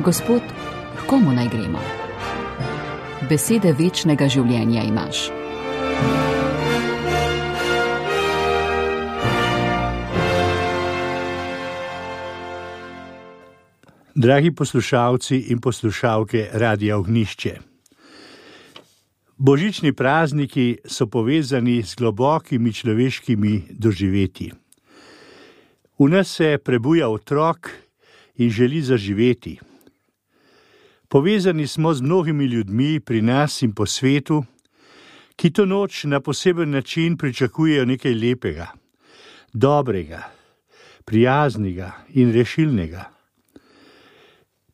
Gospod, k komu naj gremo? Besede večnega življenja imaš. Dragi poslušalci in poslušalke Radia Ognjišče. Božični prazniki so povezani z globokimi človeškimi doživetji. V nas se prebuja otrok in želi zaživeti. Povezani smo z mnogimi ljudmi pri nas in po svetu, ki to noč na poseben način pričakujejo nekaj lepega, dobrega, prijaznega in rešilnega.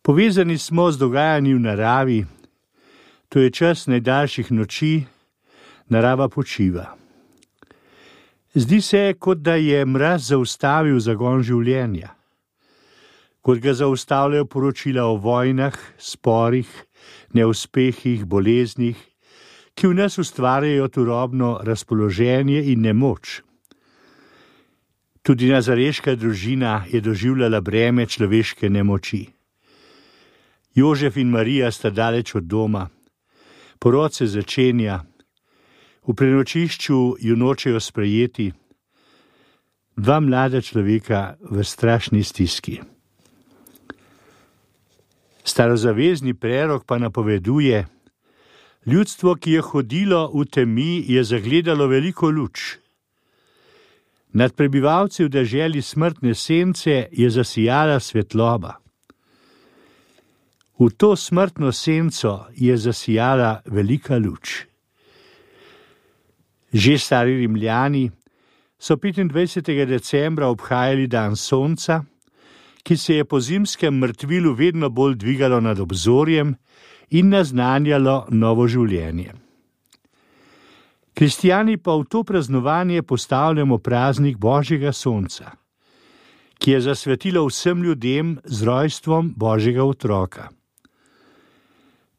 Povezani smo z dogajanji v naravi, to je čas najdaljših noči, narava počiva. Zdi se, kot da je mraz zaustavil zagon življenja, kot ga zaustavljajo poročila o vojnah, sporih, neuspehih, boleznih, ki v nas ustvarjajo turobno razpoloženje in nemoč. Tudi nazareška družina je doživljala breme človeške nemoči. Jožef in Marija sta daleč od doma, porod se začenja, v prenočišču ju nočejo sprejeti, dva mlada človeka v strašni stiski. Starozavezni prerok pa napoveduje: ljudstvo, ki je hodilo v temi, je zagledalo veliko luč. Nad prebivalci v deželi smrtne sence je zasijala svetloba. V to smrtno senco je zasijala velika luč. Že stari Rimljani so 25. decembra obhajali dan sonca, ki se je po zimskem mrtvilu vedno bolj dvigalo nad obzorjem in naznanjalo novo življenje. Kristjani pa v to praznovanje postavljamo praznik Božjega sonca, ki je zasvetilo vsem ljudem z rojstvom Božjega otroka.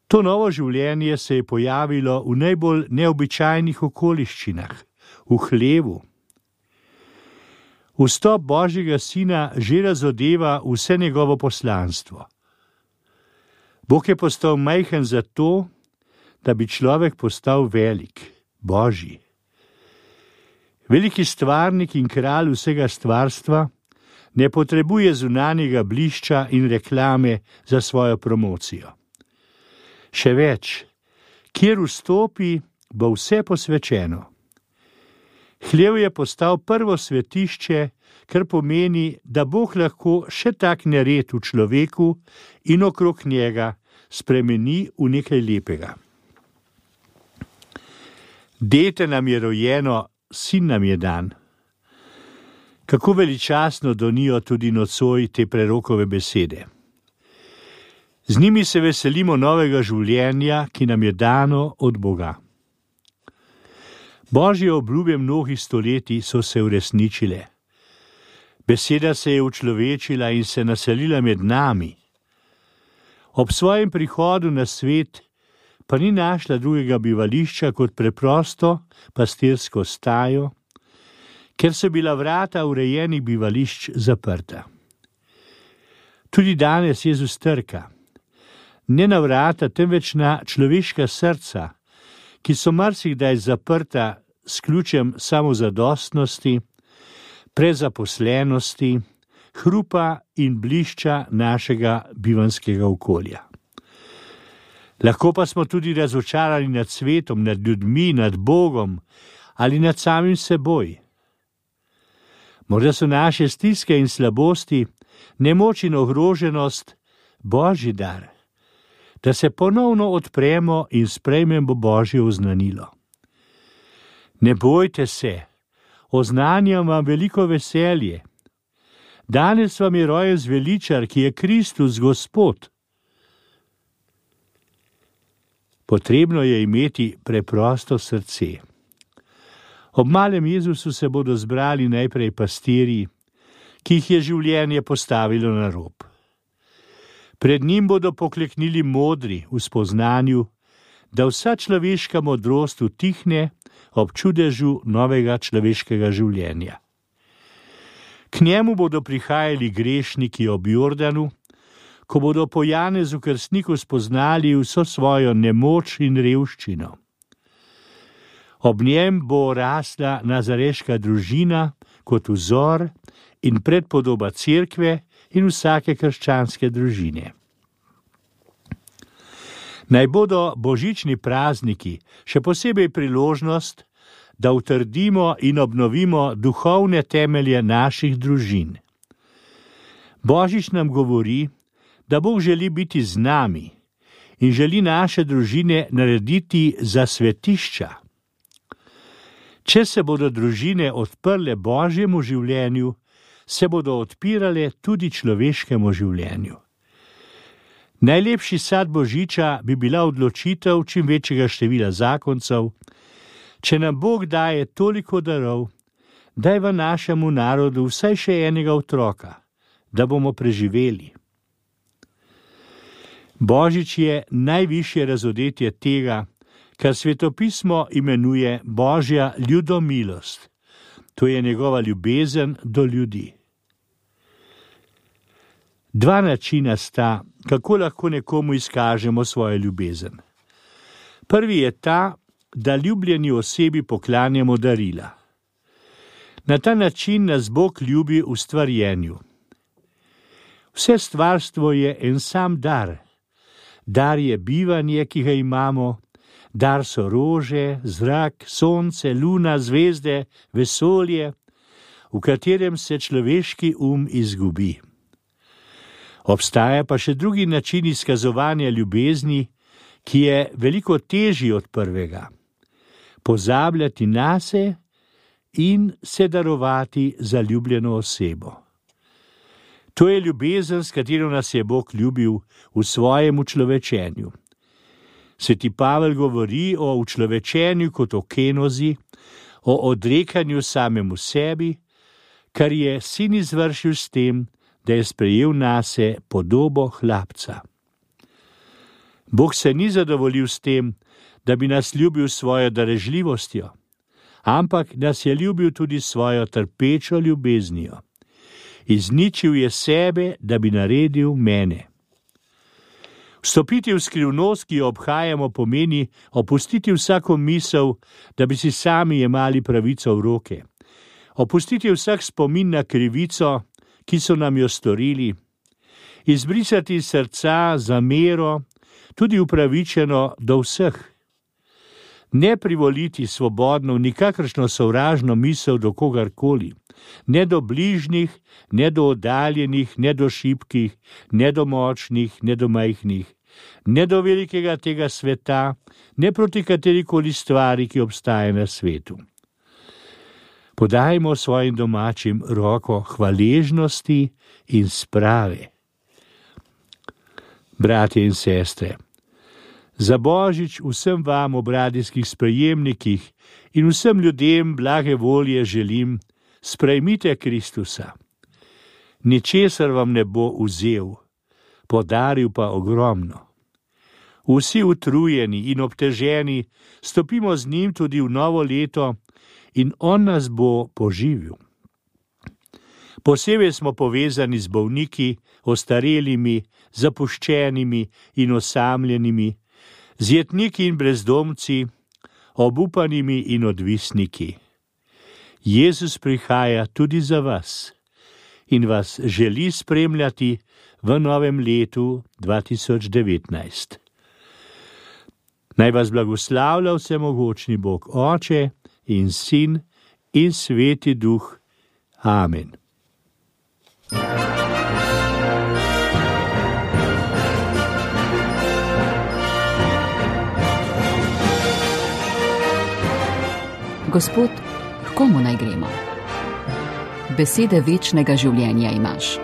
To novo življenje se je pojavilo v najbolj neobičajnih okoliščinah, v hlevu. Vstop Božjega sina že razodeva vse njegovo poslanstvo. Bog je postal majhen zato, da bi človek postal velik, Božji. Veliki stvarnik in kralj vsega stvarstva ne potrebuje zunanjega blišča in reklame za svojo promocijo. Še več, kjer vstopi, bo vse posvečeno. Hlev je postal prvo svetišče, kar pomeni, da Bog lahko še tak nered v človeku in okrog njega spremeni v nekaj lepega. Dete nam je rojeno, sin nam je dan. Kako veličastno donijo tudi nocoj te prerokove besede. Z njimi se veselimo novega življenja, ki nam je dano od Boga. Božje obljube mnogih stoletij so se uresničile. Beseda se je učlovečila in se naselila med nami. Ob svojem prihodu na svet pa ni našla drugega bivališča kot preprosto pastirsko stajo, ker so bila vrata urejenih bivališč zaprta. Tudi danes Jezus trka. Ne na vrata, temveč na človeška srca, ki so marsikdaj zaprta s ključem samozadostnosti, prezaposlenosti, hrupa in blišča našega bivanskega okolja. Lahko pa smo tudi razočarani nad svetom, nad ljudmi, nad Bogom ali nad samim seboj. Morda so naše stiske in slabosti, nemoč in ogroženost Božji dar, da se ponovno odpremo in sprejmemo Božje oznanilo. Ne bojte se, oznanjam vam veliko veselje. Danes vam je rojen zveličar, ki je Kristus Gospod. Potrebno je imeti preprosto srce. Ob malem Jezusu se bodo zbrali najprej pastirji, ki jih je življenje postavilo na rob. Pred njim bodo pokleknili modri v spoznanju, da vsa človeška modrost utihne ob čudežu novega človeškega življenja. K njemu bodo prihajali grešniki ob Jordanu, ko bodo po Janezu Krstniku spoznali vso svojo nemoč in revščino. Ob njem bo rasla nazareška družina kot vzor in predpodoba cerkve in vsake krščanske družine. Naj bodo božični prazniki še posebej priložnost, da utrdimo in obnovimo duhovne temelje naših družin. Božič nam govori, da Bog želi biti z nami in želi naše družine narediti za svetišča. Če se bodo družine odprle Božjemu življenju, se bodo odpirale tudi človeškemu življenju. Najlepši sad Božiča bi bila odločitev čim večjega števila zakoncev. Če nam Bog daje toliko darov, daj v našemu narodu vsaj še enega otroka, da bomo preživeli. Božič je najvišje razodetje tega, kar svetopismo imenuje Božja ljudomilost. To je njegova ljubezen do ljudi. Dva načina sta, kako lahko nekomu izkažemo svojo ljubezen. Prvi je ta, da ljubljeni osebi poklanjamo darila. Na ta način nas Bog ljubi v stvarjenju. Vse stvarstvo je en sam dar. Dar je bivanje, ki ga imamo, dar so rože, zrak, sonce, luna, zvezde, vesolje, v katerem se človeški izgubi. Obstaja pa še drugi način izkazovanja ljubezni, ki je veliko težji od prvega. Pozabljati nase in se darovati za ljubljeno osebo. To je ljubezen, s katero nas je Bog ljubil v svojem učlovečenju. Sveti Pavel govori o učlovečenju kot o kenozi, o odrekanju samemu sebi, kar je sin izvršil s tem, da je sprejel nase podobo hlapca. Bog se ni zadovoljil s tem, da bi nas ljubil svojo darežljivostjo, ampak nas je ljubil tudi svojo trpečo ljubeznijo. Izničil je sebe, da bi naredil mene. Vstopiti v skrivnost, ki jo obhajamo, pomeni opustiti vsako misel, da bi si sami jemali pravico v roke. Opustiti vsak spomin na krivico, ki so nam jo storili. Izbrisati iz srca zamero, tudi upravičeno do vseh. Ne privoliti svobodno v nikakršno sovražno misel do kogarkoli, ne do bližnjih, ne do oddaljenih, ne do šibkih, ne do močnih, ne do majhnih, ne do velikega tega sveta, ne proti katerikoli stvari, ki obstaja na svetu. Podajmo svojim domačim roko hvaležnosti in sprave. Bratje in sestre, za Božič vsem vam ob radijskih sprejemnikih in vsem ljudem blage volje želim, sprejmite Kristusa. Ničesar vam ne bo vzel, podaril pa ogromno. Vsi utrujeni in obteženi stopimo z njim tudi v novo leto in on nas bo poživil. Posebej smo povezani z bolniki, ostarelimi, zapuščenimi in osamljenimi, z jetniki in brezdomci, obupanimi in odvisniki. Jezus prihaja tudi za vas in vas želi spremljati v novem letu 2019. Naj vas blagoslavlja vsemogočni Bog Oče in Sin in Sveti Duh. Amen. Gospod, k komu naj gremo? Besede večnega življenja imaš.